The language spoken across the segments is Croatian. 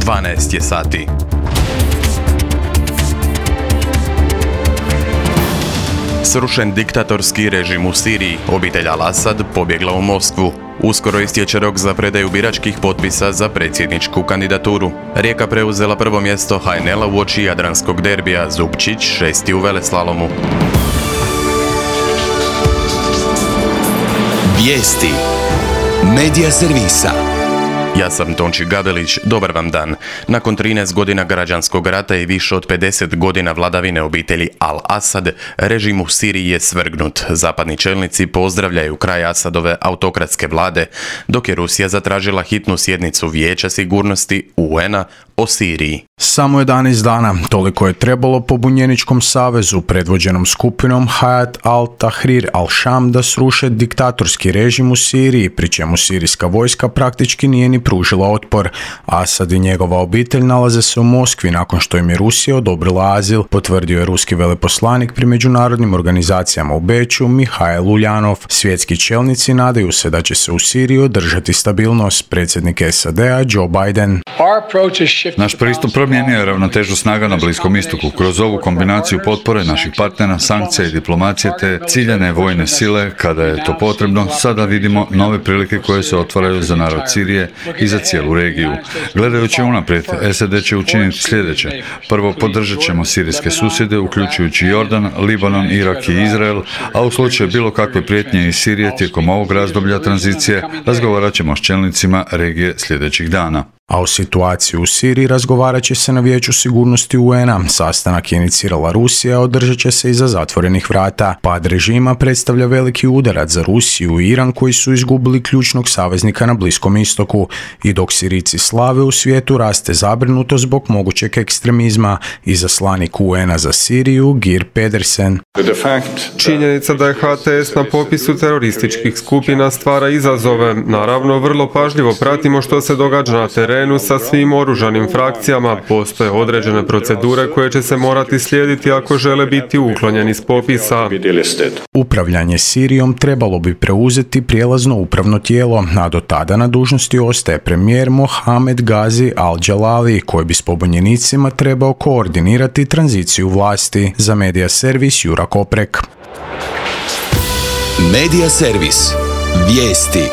12 je sati. Srušen diktatorski režim u Siriji, obitelj Al-Asad pobjegla u Moskvu. Uskoro istječe rok za predaju biračkih potpisa za predsjedničku kandidaturu. Rijeka preuzela prvo mjesto HNL-a uoči jadranskog derbija, Zupčić 6. u veleslalomu. Vijesti Medija servisa. Ja sam Tonči Gabelić, dobar vam dan. Nakon 13 godina građanskog rata i više od 50 godina vladavine obitelji Al-Asad, režim u Siriji je svrgnut. Zapadni čelnici pozdravljaju kraj Asadove autokratske vlade, dok je Rusija zatražila hitnu sjednicu Vijeća sigurnosti UN-a o Siriji. Samo 11 dana, toliko je trebalo pobunjeničkom savezu predvođenom skupinom Hayat al-Tahrir al-Sham da sruše diktatorski režim u Siriji, pri čemu sirijska vojska praktički nije ni pružila otpor. Asad i njegova obitelj nalaze se u Moskvi nakon što im je Rusija odobrila azil, potvrdio je ruski veleposlanik pri međunarodnim organizacijama u Beču Mihail Uljanov. Svjetski čelnici nadaju se da će se u Siriji održati stabilnost. Predsjednik SAD-a Joe Biden. Naš pristup promijenio je ravnotežu snaga na Bliskom istoku. Kroz ovu kombinaciju potpore naših partnera, sankcija i diplomacije te ciljane vojne sile, kada je to potrebno, sada vidimo nove prilike koje se otvaraju za narod Sirije i za cijelu regiju. Gledajući unaprijed, SAD će učiniti sljedeće. Prvo, podržat ćemo sirijske susjede, uključujući Jordan, Libanon, Irak i Izrael, a u slučaju bilo kakve prijetnje iz Sirije tijekom ovog razdoblja tranzicije, razgovarat ćemo s čelnicima regije sljedećih dana. A o situaciji u Siriji razgovarat će se na Vijeću sigurnosti UN-a. Sastanak je inicirala Rusija, održat će se iza zatvorenih vrata. Pad režima predstavlja veliki udarac za Rusiju i Iran, koji su izgubili ključnog saveznika na Bliskom istoku. I dok Sirijci slave, u svijetu raste zabrinutost zbog mogućeg ekstremizma. Izaslanik UN-a za Siriju Geir Pedersen. Činjenica da je HTS na popisu terorističkih skupina stvara izazove. Naravno, vrlo pažljivo pratimo što se događa na terenu sa svim oružanim frakcijama. Postoje određene procedure koje će se morati slijediti ako žele biti uklonjeni s popisa. Upravljanje Sirijom trebalo bi preuzeti prijelazno upravno tijelo, a do tada na dužnosti ostaje premijer Mohamed Gazi al-Jalali, koji bi s pobunjenicima trebao koordinirati tranziciju vlasti. Za Medija servis Jura Koprek. Medija servis. Vijesti.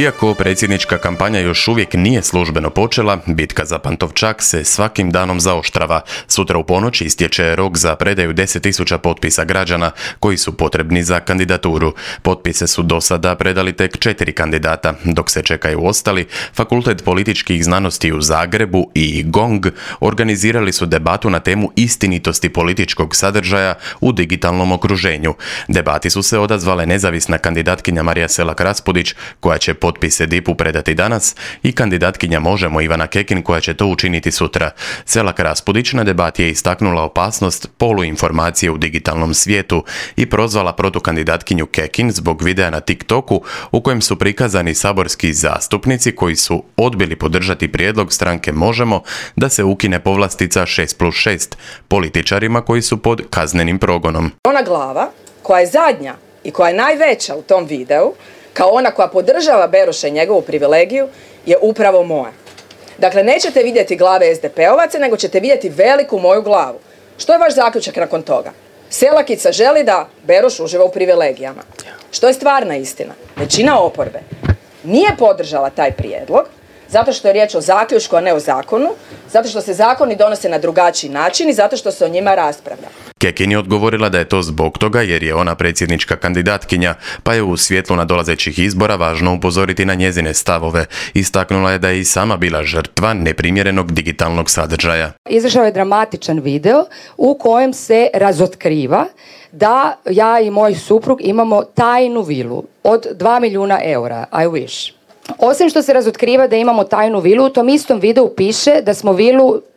Iako predsjednička kampanja još uvijek nije službeno počela, bitka za Pantovčak se svakim danom zaoštrava. Sutra u ponoć istječe rok za predaju 10.000 potpisa građana koji su potrebni za kandidaturu. Potpise su do sada predali tek 4 kandidata. Dok se čekaju ostali, Fakultet političkih znanosti u Zagrebu i GONG organizirali su debatu na temu istinitosti političkog sadržaja u digitalnom okruženju. Debati su se odazvale nezavisna kandidatkinja Marija Selak-Raspudić, koja će potpise DIP-u predati danas, i kandidatkinja Možemo Ivana Kekin, koja će to učiniti sutra. Selak-Raspudić na debati je istaknula opasnost poluinformacije u digitalnom svijetu i prozvala protukandidatkinju Kekin zbog videa na TikToku u kojem su prikazani saborski zastupnici koji su odbili podržati prijedlog stranke Možemo da se ukine povlastica 6+6 političarima koji su pod kaznenim progonom. Ona glava koja je zadnja i koja je najveća u tom videu, kao ona koja podržava Beroša i njegovu privilegiju, je upravo moja. Dakle, nećete vidjeti glave SDP-ovaca, nego ćete vidjeti veliku moju glavu. Što je vaš zaključak nakon toga? Selakica želi da Beroš uživa u privilegijama. Što je stvarna istina? Većina oporbe nije podržala taj prijedlog, zato što je riječ o zaključku, a ne o zakonu, zato što se zakoni donose na drugačiji način i zato što se o njima raspravlja. Kekin je odgovorila da je to zbog toga jer je ona predsjednička kandidatkinja, pa je u svjetlu nadolazećih izbora važno upozoriti na njezine stavove. Istaknula je da je i sama bila žrtva neprimjerenog digitalnog sadržaja. Izašao je dramatičan video u kojem se razotkriva da ja i moj suprug imamo tajnu vilu od 2 milijuna eura. I wish. Osim što se razotkriva da imamo tajnu vilu, u tom istom videu piše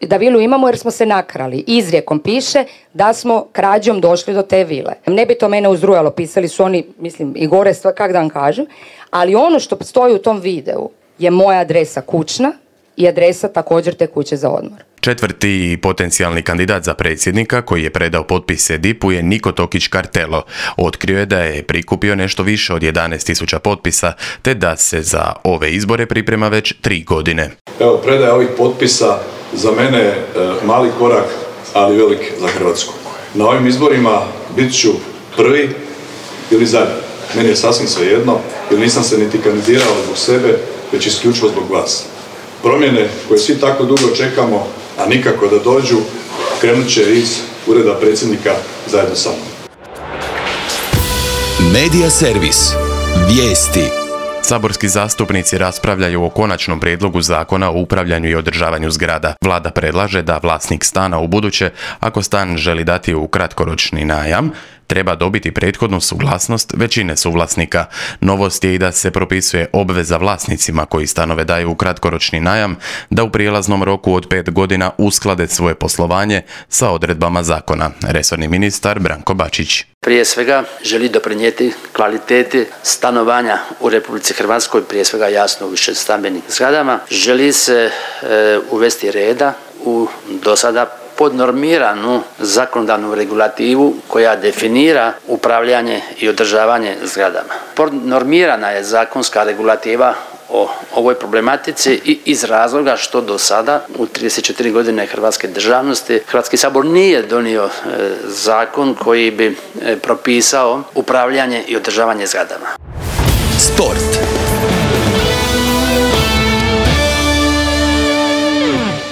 da vilu imamo jer smo se nakrali. Izrijekom piše da smo krađom došli do te vile. Ne bi to mene uzrujalo, pisali su oni, mislim, i gore, kak da vam kažem, ali ono što stoji u tom videu je moja adresa kućna i adresa također te kuće za odmor. Četvrti potencijalni kandidat za predsjednika koji je predao potpise DIP-u je Niko Tokić Kartelo. Otkrio je da je prikupio nešto više od 11.000 potpisa, te da se za ove izbore priprema već 3 godine. Evo, predaja ovih potpisa za mene je mali korak, ali velik za Hrvatsku. Na ovim izborima bit ću prvi ili zadnji. Meni je sasvim svejedno, jer nisam se niti kandidirao zbog sebe, već isključivo zbog vas. Promjene koje svi tako dugo čekamo, a nikako da dođu, krenut će iz ureda predsjednika zajedno sa mnom. Medija servis. Vijesti. Saborski zastupnici raspravljaju o konačnom prijedlogu zakona o upravljanju i održavanju zgrada. Vlada predlaže da vlasnik stana ubuduće, ako stan želi dati u kratkoročni najam, treba dobiti prethodnu suglasnost većine suvlasnika. Novost je i da se propisuje obveza vlasnicima koji stanove daju u kratkoročni najam da u prijelaznom roku od 5 godina usklade svoje poslovanje sa odredbama zakona. Resorni ministar Branko Bačić. Prije svega želi doprinijeti kvaliteti stanovanja u Republici Hrvatskoj, prije svega jasno u višestambenim zgradama. Želi se uvesti reda u dosada podnormiranu zakonodavnu regulativu koja definira upravljanje i održavanje zgradama. Podnormirana je zakonska regulativa o ovoj problematici i iz razloga što do sada u 34 godine hrvatske državnosti Hrvatski sabor nije donio zakon koji bi propisao upravljanje i održavanje zgradama. Sport.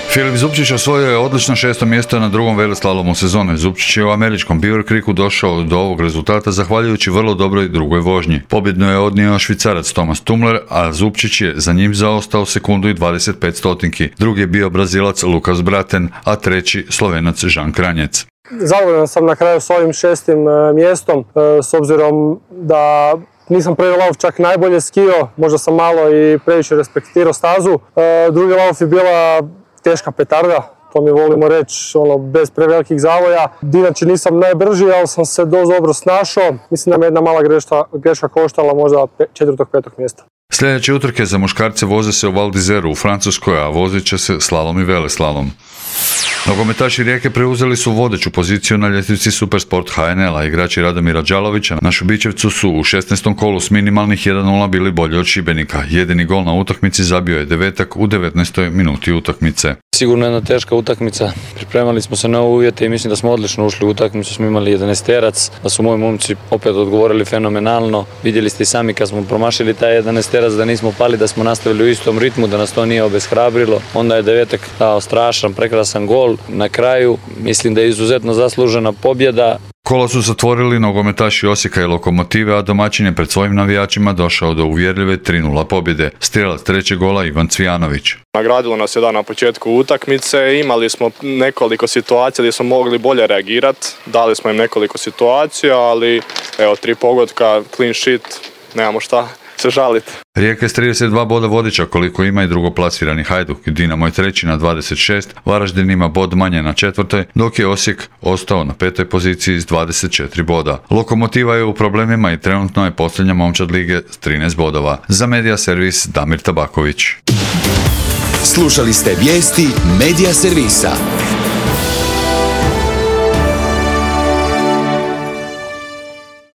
Filip Zupčić osvojio je odlično 6. mjesto na drugom veleslalomu sezone. Zupčić je u američkom Beaver Creeku došao do ovog rezultata zahvaljujući vrlo dobroj drugoj vožnji. Pobjedno je odnio Švicarac Thomas Tumler, a Zupčić je za njim zaostao sekundu i 25 stotinki. Drugi je bio Brazilac Lukas Braten, a treći Slovenac Žan Kranjec. Zadovoljan sam na kraju s ovim 6. mjestom, s obzirom da nisam prvi lauf čak najbolje skio, možda sam malo i previše respektirao stazu. Drugi lauf je bila teška petarda, to mi volimo reći, bez prevelikih zavoja. Inače nisam najbrži, ali sam se dosta dobro snašao. Mislim da me jedna mala greška koštala možda 4. 5. mjesta. Sljedeće utrke za muškarce voze se u Val d'Izeru u Francuskoj, a vozit će se slalom i veleslalom. Nogometaši Rijeke preuzeli su vodeću poziciju na ljestvici Supersport HNL-a. Igrači Radomira Đalovića na Šubićevcu su u 16. kolu s minimalnih 1:0 bili bolji od Šibenika. Jedini gol na utakmici zabio je Devetak u 19. minuti utakmice. Sigurno jedna teška utakmica. Pripremali smo se na uvjete i mislim da smo odlično ušli u utakmicu. Smo imali 11-terac, da su moji momci opet odgovorili fenomenalno. Vidjeli ste i sami kad smo promašili taj 11-terac da nismo pali, da smo nastavili u istom ritmu, da nas to nije obeshrabrilo. Onda je Devetak dao strašan, prekrasan gol. Na kraju mislim da je izuzetno zaslužena pobjeda. Kola su zatvorili nogometaši Osijeka i Lokomotive, a domaćin je pred svojim navijačima došao do uvjerljive 3:0 pobjede. Strijelac trećeg gola Ivan Cvijanović. Nagradilo nas je da na početku utakmice, imali smo nekoliko situacija gdje smo mogli bolje reagirati, dali smo im nekoliko situacija, ali evo 3 pogotka, clean sheet, nemamo šta se žaliti. Rijeka je s 32 boda vodiča koliko ima i drugoplasirani Hajduk. Dinamo je treći na 26, Varaždin ima bod manje na 4, dok je Osijek ostao na 5. poziciji s 24 boda. Lokomotiva je u problemima i trenutno je posljednja momčad lige s 13 bodova. Za Medija servis Damir Tabaković. Slušali ste vijesti Medija servisa.